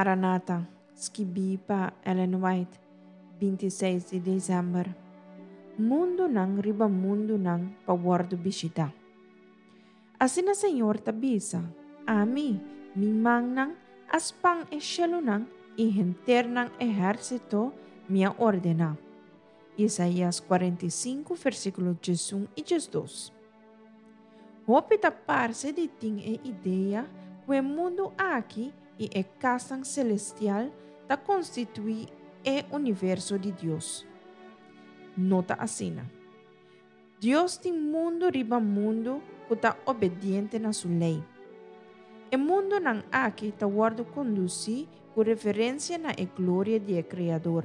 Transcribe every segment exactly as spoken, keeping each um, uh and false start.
Maranata, skibí pa Ellen White, binti seis di desèmber. Mundunan riba mundunan pa wòrdu bishitá. Asina Señor ta bisa, Ami, mi mannan a span e shelunan i henter nan ehérsito mi a ordená. Isaías kuarenta i sinku, versíkulo diesun i diesdos. Hopi ta parse di tin e idea ku e mundu aki i e kasnan selestial ta konstituí e universo di Dios. No ta asina. Dios tin mundu riba mundu ku ta obediente na su lei. E mundunan aki ta wòrdu kondusí ku referensia na e gloria di e Kreador.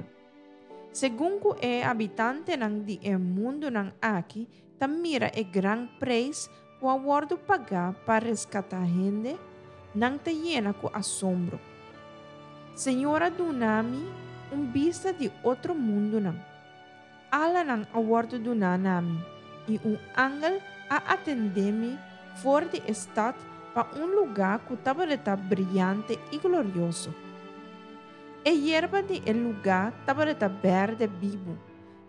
Segun ku e habitantenan di e mundunan aki ta mira e gran preis ku a wòrdu pagá pa reskatá hende, nan ta yena ku asombro. Señor a duna mi un bista di otro mundunan. Alanan a wòrdu duná na mi, i un angel a atendé mi for di e stat pa un lugá ku tabata briante i glorioso. E yerba di e lugá tabata bèrdè bibu,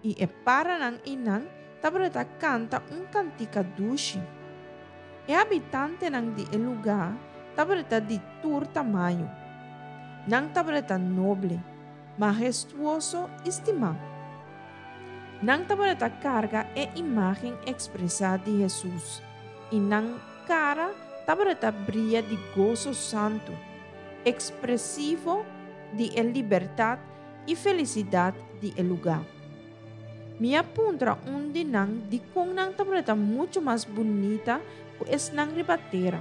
i e paranan einan tabata kanta un kantika dushi. E habitantenan di e lugá tabata di tur tamaño. Nan tabata noble, mahestuoso i stimá. Nan tabata karga e imágen ekspresá di Hesus, i nan kara tabata bria di goso santu, ekspresivo di e libertat i felisidat di e lugá. Mi a puntra un di nan dikon nan tabata muchu mas bunita ku esnan riba tera.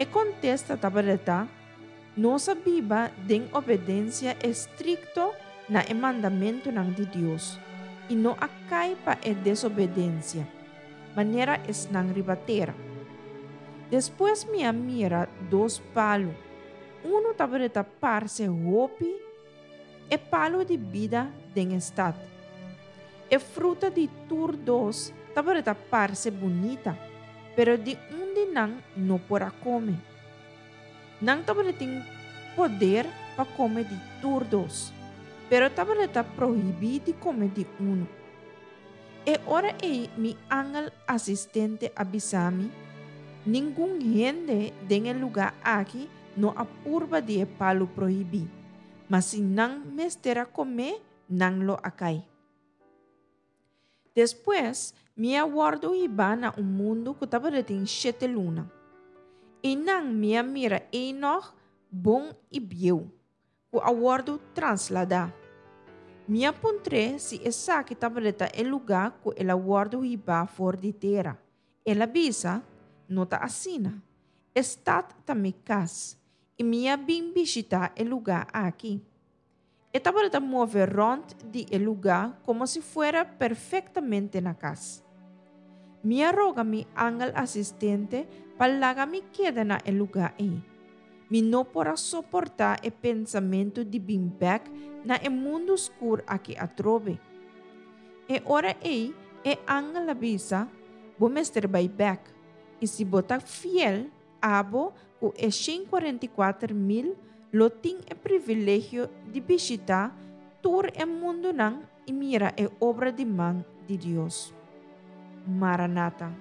E kontesta tabata, Nos a biba den obedensia estrikto na e mandamentunan di Dios i no a kai pa e desobedensia, manera esnan riba tera. Despues mi a mira dos palu. Unu tabata parse hopi e palu di bida den e stat. E fruta di tur dos tabata parse bunita, pero di un di nan no por a kome. Nan tabatin poder pa kome di tur dos, pero tabata prohibí di kome di unu. E ora ei mi angel asistente a bisa mi, Ningun hende den e lugá aki no a purba di e palu prohibí, ma si nan mester a kome, nan lo a kai. Despues mi a wòrdu hibá na un mundu ku tabatin shete luna. Einan mi a mira Enoch bon i bieu, ku a wòrdu trasladá. Mi a puntr'é si esaki tabata e lugá ku el a wòrdu hibá for di tera. El a bisa, No ta asina. E stat ta mi kas, i mi a bin bishitá e lugá aki. E tabata move rònt di e lugá komo si fuera perfektamente na kas. Mi a roga mi angel asistente pa laga mi keda na e lugá ei. Mi no por a soportá e pensamentu di bin bèk na e mundu skur aki atrobe. E ora ei e angel a bisa, Bo mester bai bèk, i si bo ta fiel, abo ku e shen kuarenta i kuater mil lo tin e privilegio di bishitá tur e mundunan i mira e obra di man di Dios. Maranata,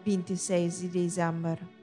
binti seis di desèmber.